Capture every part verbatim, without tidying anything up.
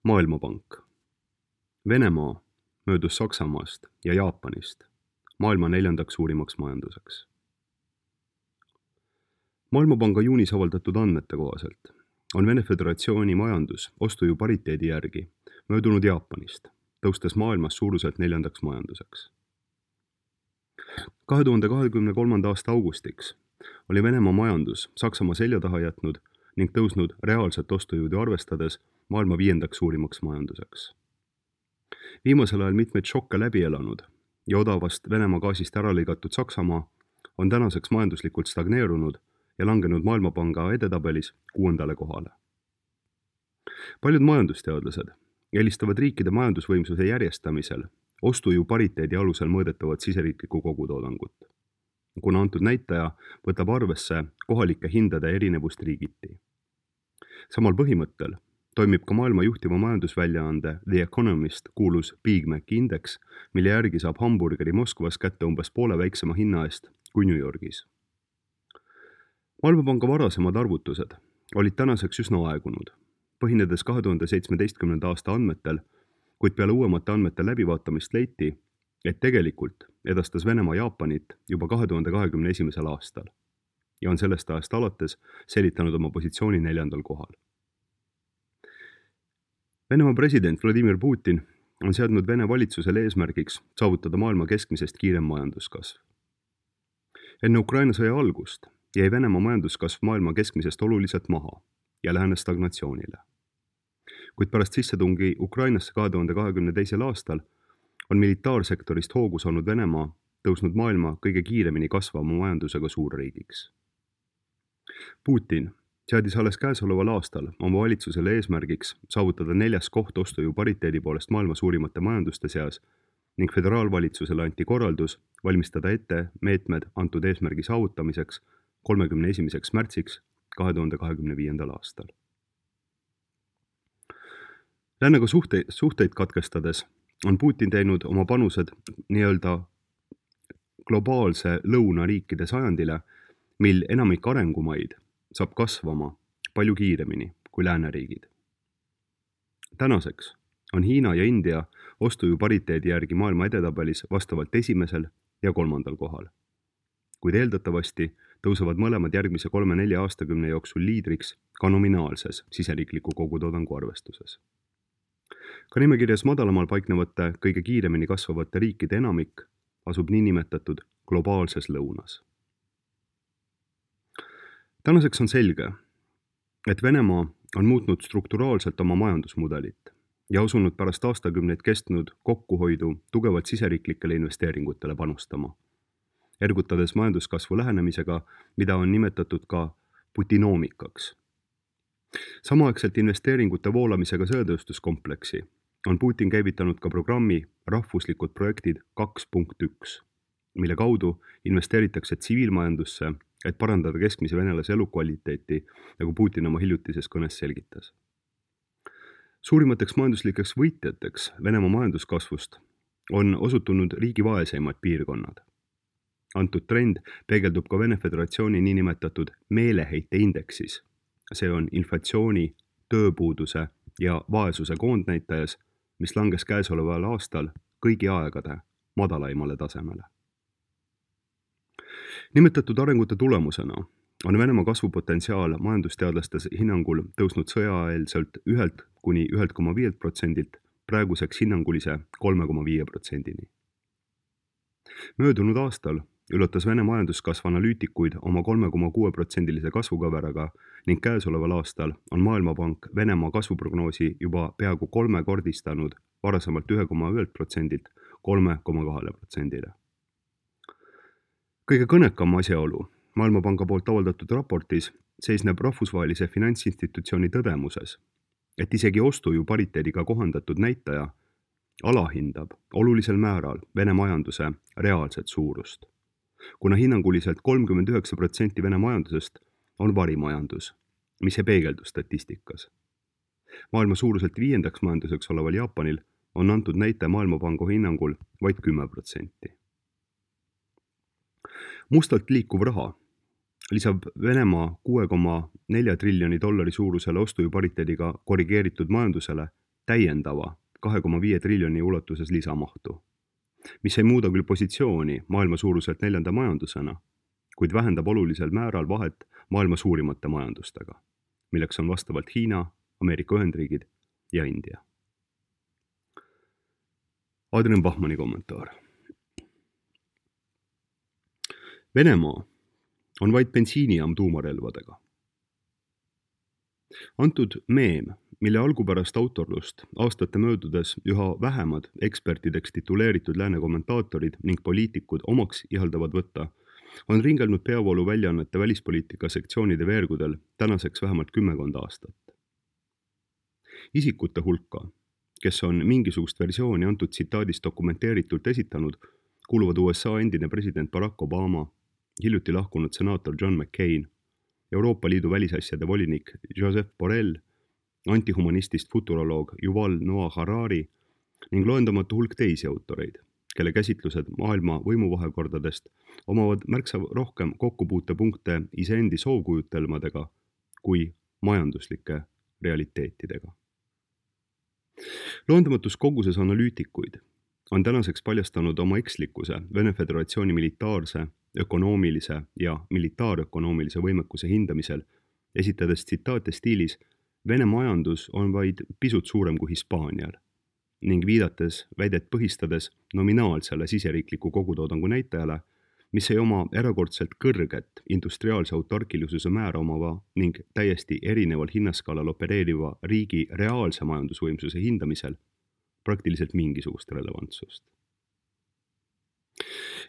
Maailmapank. Venemaa möödus Saksamaast ja Jaapanist maailma neljandaks suurimaks majanduseks. Maailmapanga juunis avaldatud andmete kohaselt on Vene Föderatsiooni majandus ostuju pariteedi järgi möödunud Jaapanist, tõustes maailmas suuruselt neljandaks majanduseks. kahe tuhande kahekümne kolmanda aasta augustiks oli Venemaa majandus Saksamaa selja taha jätnud ning tõusnud reaalset ostujõudu arvestades maailma viiendaks suurimaks majanduseks. Viimasel ajal mitmeid šokke läbi elanud ja odavast Venemaa gaasist ära lõigatud Saksamaa on tänaseks majanduslikult stagneerunud ja langenud Maailmapanga edetabelis kuuendale kohale. Paljud majandusteadlased eelistavad riikide majandusvõimsuse järjestamisel ostujõu pariteedi alusel mõõdetavat siseriiklikku kogutoodangut, kuna antud näitaja võtab arvesse kohalike hindade erinevust riigiti. Samal põhimõttel toimib ka maailma juhtiva majandusväljaande The Economist kuulus Big Maci indeks, mille järgi saab hamburgeri Moskvas kätte umbes poole väiksema hinna eest kui New Yorgis. Maailmapanga varasemad arvutused olid tänaseks üsna aegunud, põhinedes kahe tuhande seitsmeteistkümnenda aasta andmetel, kuid peale uuemate andmete läbivaatamist leiti, et tegelikult edastas Venemaa Jaapanit juba kahe tuhande kahekümne esimesel aastal ja on sellest ajast alates säilitanud oma positsiooni neljandal kohal. Venemaa president Vladimir Putin on seadnud Vene valitsusele eesmärgiks saavutada maailma keskmisest kiirem majanduskasv. Enne Ukraina sõja algust jäi Venemaa majanduskasv maailma keskmisest oluliselt maha ja lähenes stagnatsioonile. Kuid pärast sissetungi Ukrainasse kahe tuhande kahekümne teisel aastal on militaarsektorist hoogu saanud Venemaa tõusnud maailma kõige kiiremini kasvama majandusega suurriigiks. Putin seadis alles käesoleval aastal oma valitsusele eesmärgiks saavutada neljas koht ostujõu pariteedi poolest maailma suurimate majanduste seas ning föderaalvalitsusele anti korraldus valmistada ette meetmed antud eesmärgi saavutamiseks kolmekümne esimeseks märtsiks kahe tuhande kahekümne viiendal aastal. Läänega suhteid, suhteid katkestades on Putin teinud oma panused nii-öelda globaalse lõunariikide sajandile, mil enamik arengumaid saab kasvama palju kiiremini kui lääneriigid. Tänaseks on Hiina ja India ostujõu pariteedi järgi maailma edetabelis vastavalt esimesel ja kolmandal kohal, kuid eeldatavasti tõusevad mõlemad järgmise kolme-nelja aastakümne jooksul liidriks ka nominaalses siseriikliku kogutoodangu arvestuses. Ka nimekirjas madalamal paiknevate kõige kiiremini kasvavate riikide enamik asub niinimetatud globaalses lõunas. Tänaseks on selge, et Venemaa on muutnud strukturaalselt oma majandusmudelit ja asunud pärast aastakümneid kestnud kokkuhoidu tugevalt siseriiklikele investeeringutele panustama, ergutades majanduskasvu lähenemisega, mida on nimetatud ka putinoomikaks. Samaaegselt investeeringute voolamisega sõjatööstuskompleksi on Putin käivitanud ka programmi rahvuslikud projektid kaks punkt üks, mille kaudu investeeritakse tsiviilmajandusse, et parandada keskmise venelase elukvaliteeti, nagu Putin oma hiljutises kõnes selgitas. Suurimateks majanduslikeks võitjateks Venemaa majanduskasvust on osutunud riigi vaeseimad piirkonnad. Antud trend peegeldub ka Vene Föderatsiooni niinimetatud meeleheite indeksis. See on inflatsiooni, tööpuuduse ja vaesuse koondnäitajas, mis langes käesoleval aastal kõigi aegade madalaimale tasemele. Nimetatud arengute tulemusena on Venemaa kasvupotentsiaal majandusteadlaste hinnangul tõusnud sõjaeelselt ühelt kuni ühelt koma viielt protsendilt praeguseks hinnangulise kolme koma viie protsendini. Möödunud aastal ületas Vene majanduskasv analüütikuid oma kolme koma kuue protsendilise kasvukaveraga ning käesoleval aastal on Maailmapank Venemaa kasvuprognoosi juba peaaegu kolmekordistanud varasemalt ühe koma ühelt protsendilt kolme koma kahele protsendile. Kõige kõnekam asjaolu Maailmapanga poolt avaldatud raportis seisneb rahvusvahelise finantsinstitutsiooni tõdemuses, et isegi ostujõu pariteediga kohandatud näitaja alahindab olulisel määral Vene majanduse reaalset suurust, kuna hinnanguliselt kolmkümmend üheksa protsenti Vene majandusest on varimajandus, mis ei peegeldu statistikas. Maailma suuruselt viiendaks majanduseks oleval Jaapanil on antud näite Maailmapanga hinnangul vaid kümme protsenti. Mustalt liikuv raha lisab Venemaa kuue koma nelja triljoni dollari suurusele ostujõu pariteediga korrigeeritud majandusele täiendava kahe koma viie triljoni ulatuses lisamahtu, mis ei muuda küll positsiooni maailma suuruselt neljanda majandusena, kuid vähendab olulisel määral vahet maailma suurimate majandustega, milleks on vastavalt Hiina, Ameerika Ühendriigid ja India. Adrian Bachmanni kommentaar. Venemaa on vaid bensiinijaam tuumarelvadega. Antud meem, mille algupärast autorlust aastate möödudes üha vähemad ekspertideks tituleeritud lääne kommentaatorid ning poliitikud omaks ihaldavad võtta, on ringelnud peavoolu väljaannete välispoliitika sektsioonide veergudel tänaseks vähemalt kümmekond aastat. Isikute hulka, kes on mingisugust versiooni antud tsitaadist dokumenteeritult esitanud, kuuluvad U S A endine president Barack Obama, hiljuti lahkunud senaator John McCain, Euroopa Liidu välisasjade volinik Joseph Borrell, antihumanistist futuroloog Yuval Noah Harari ning loendamatu hulk teisi autoreid, kelle käsitlused maailma võimuvahekordadest omavad märksa rohkem kokkupuutepunkte iseendi soovkujutelmadega kui majanduslike realiteetidega. Loendamatus koguses analüütikuid on tänaseks paljastanud oma ekslikkuse Vene Föderatsiooni militaarse, ökonoomilise ja militaarökonoomilise võimekuse hindamisel, esitades tsitaate stiilis Vene majandus on vaid pisut suurem kui Hispaanial ning viidates väidet põhistades nominaalsele siseriikliku kogutoodangu näitajale, mis ei oma erakordselt kõrget industriaalse autarkilisuse määra omava ning täiesti erineval hinnaskaalal opereeriva riigi reaalse majandusvõimsuse hindamisel praktiliselt mingisugust relevantsust.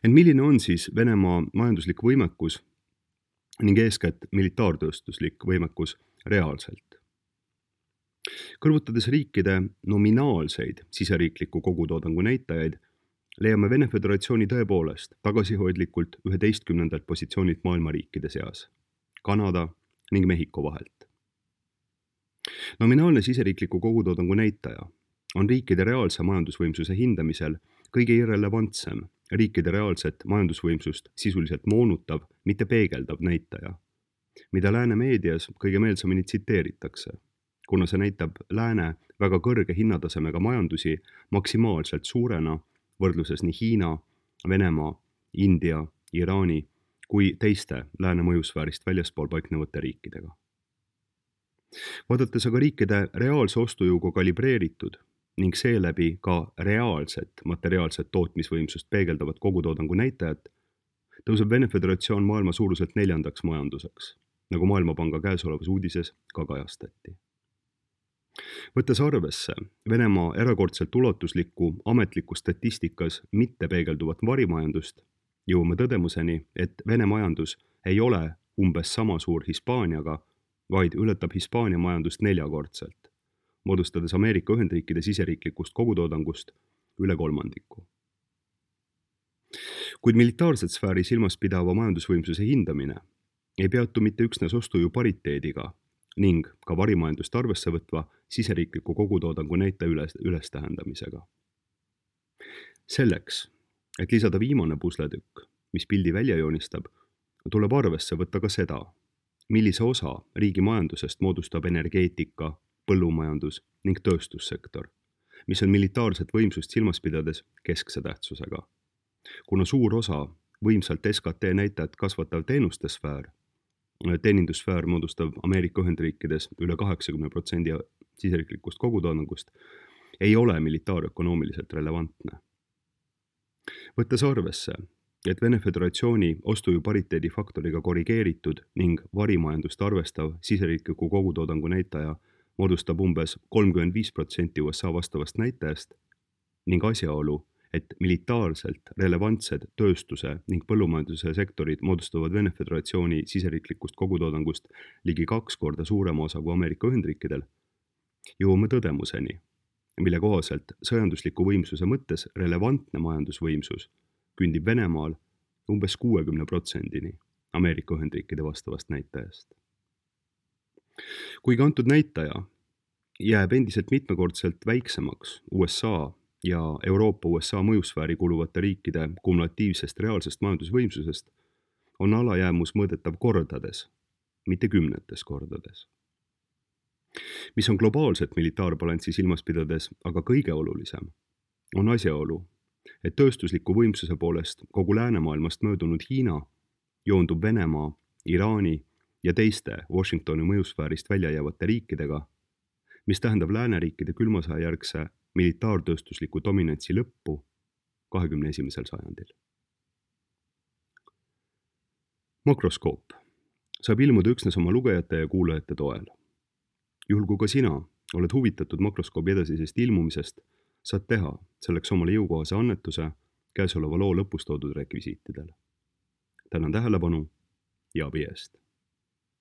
Ent milline on siis Venemaa majanduslik võimekus ning eeskätt militaartööstuslik võimekus reaalselt? Kõrvutades riikide nominaalseid siseriikliku kogutoodangu näitajaid, leiame Vene Föderatsiooni tõepoolest tagasihoidlikult üheteistkümnendalt positsioonilt maailma riikide seas, Kanada ning Mehhiko vahelt. Nominaalne siseriikliku kogutoodangu näitaja on riikide reaalse majandusvõimsuse hindamisel kõige irrelevantsem riikide reaalset majandusvõimsust sisuliselt moonutav, mitte peegeldav näitaja, mida lääne meedias kõige meelsamini tsiteeritakse, kuna see näitab lääne väga kõrge hinnatasemega majandusi maksimaalselt suurena võrdluses nii Hiina, Venemaa, India, Iraani kui teiste lääne mõjusfäärist väljaspool paiknevate riikidega. Vaadates aga riikide reaalse ostujõuga kalibreeritud ning seeläbi ka reaalset materiaalset tootmisvõimsust peegeldavat kogutoodangu näitajat, tõuseb Vene Föderatsioon maailma suuruselt neljandaks majanduseks, nagu Maailmapanga käesolevas uudises ka kajastati. Võttes arvesse Venemaa erakordselt ulatuslikku ametliku statistikas mitte peegelduvat varimajandust, jõuame tõdemuseni, et Vene majandus ei ole umbes sama suur Hispaaniaga, vaid ületab Hispaania majandust neljakordselt, moodustades Ameerika Ühendriikide siseriiklikust kogutoodangust üle kolmandiku. Kuid militaarset sfääri silmas pidava majandusvõimsuse hindamine ei peatu mitte üksnes ostujõu pariteediga ning ka varimajandust arvesse võtva siseriikliku kogutoodangu näitaja üles, üles tähendamisega. Selleks, et lisada viimane pusletükk, mis pildi välja joonistab, tuleb arvesse võtta ka seda, millise osa riigi majandusest moodustab energeetika, põllumajandus ning tööstussektor, mis on militaarset võimsust silmas pidades keskse tähtsusega. Kuna suur osa võimsalt S K T näitajat kasvatav teenuste sfäär, teenindussfäär moodustab Ameerika Ühendriikides üle kaheksakümne protsendi siseriiklikust kogutoodangust, ei ole militaarökonoomiliselt relevantne. Võttes arvesse, et Vene Föderatsiooni ostujõu pariteedi faktoriga korrigeeritud ning varimajandust arvestav siseriikliku kogutoodangu näitaja moodustab umbes kolmkümmend viis protsenti U S A vastavast näitajast ning asjaolu, et militaarselt relevantsed tööstuse ning põllumajanduse sektorid moodustavad Vene Föderatsiooni siseriiklikust kogutoodangust ligi kaks korda suurema osa kui Ameerika Ühendriikidel, jõuame tõdemuseni, mille kohaselt sõjandusliku võimsuse mõttes relevantne majandusvõimsus kündib Venemaal umbes kuuekümne protsendini Ameerika Ühendriikide vastavast näitajast. Kuigi antud näitaja jääb endiselt mitmekordselt väiksemaks U S A ja Euroopa U S A mõjusfääri kuluvate riikide kumulatiivsest reaalsest majandusvõimsusest, on alajäämus mõõdetav kordades, mitte kümnetes kordades. mis on globaalset militaarbalanssi silmas pidades aga kõige olulisem, on asjaolu, et tööstusliku võimsuse poolest kogu läänemaailmast möödunud Hiina joondub Venemaa, Iraani ja teiste Washingtoni mõjusfäärist välja jäävate riikidega, mis tähendab lääneriikide külmasõja järgse militaartööstusliku dominantsi lõppu kahekümne esimesel sajandil. Makroskoop saab ilmuda üksnes oma lugejate ja kuulajate toel. Juhul kui ka sina oled huvitatud makroskoobi edasisest ilmumisest, saad teha selleks omale jõukohase annetuse käesoleva loo lõpus toodud rekvisiitidele. Tänan tähelepanu ja abi eest!